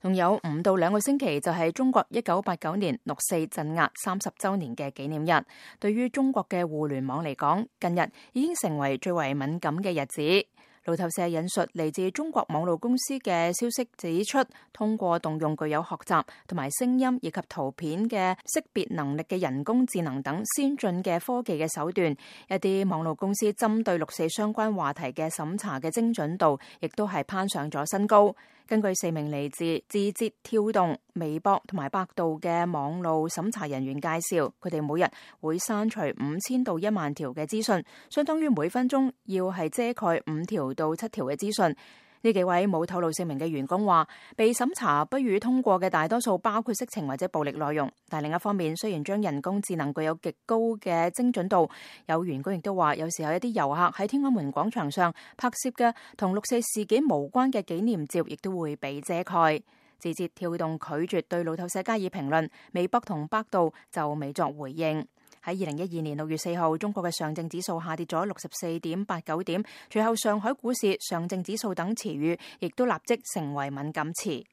仲有5到2個星期就係中國1989年6四鎮壓30週年嘅紀念日。對於中國嘅互聯網嚟講，近日已經成為最為敏感嘅日子。路透社引述嚟自中國網絡公司嘅消息指出，通過動用具有學習同埋聲音以及圖片嘅識別能力嘅人工智能等先進嘅科技嘅手段，一啲網絡公司針對6四相關話題嘅審查嘅精準度，亦都係攀上咗新高。根據4名嚟自字節跳動、微博同埋百度嘅網路審查人員介紹，佢哋每日會刪除5000到1萬條嘅資訊，相當於每分鐘要係遮蓋5條到7條嘅資訊。呢幾位冇透露姓名嘅員工話，被審查不予通過嘅大多數包括色情或者暴力內容。但另一方面，雖然將人工智能具有極高嘅精準度，有員工亦都話，有時候一啲遊客喺天安門廣場上拍攝嘅同6四事件無關嘅紀念照，亦都會被遮蓋。字節跳動拒絕對路透社加以評論，微博同百度就未作回應。喺2012年6月4號，中國嘅上證指數下跌咗64.89點，隨後上海股市、上證指數等詞語亦都立即成為敏感詞。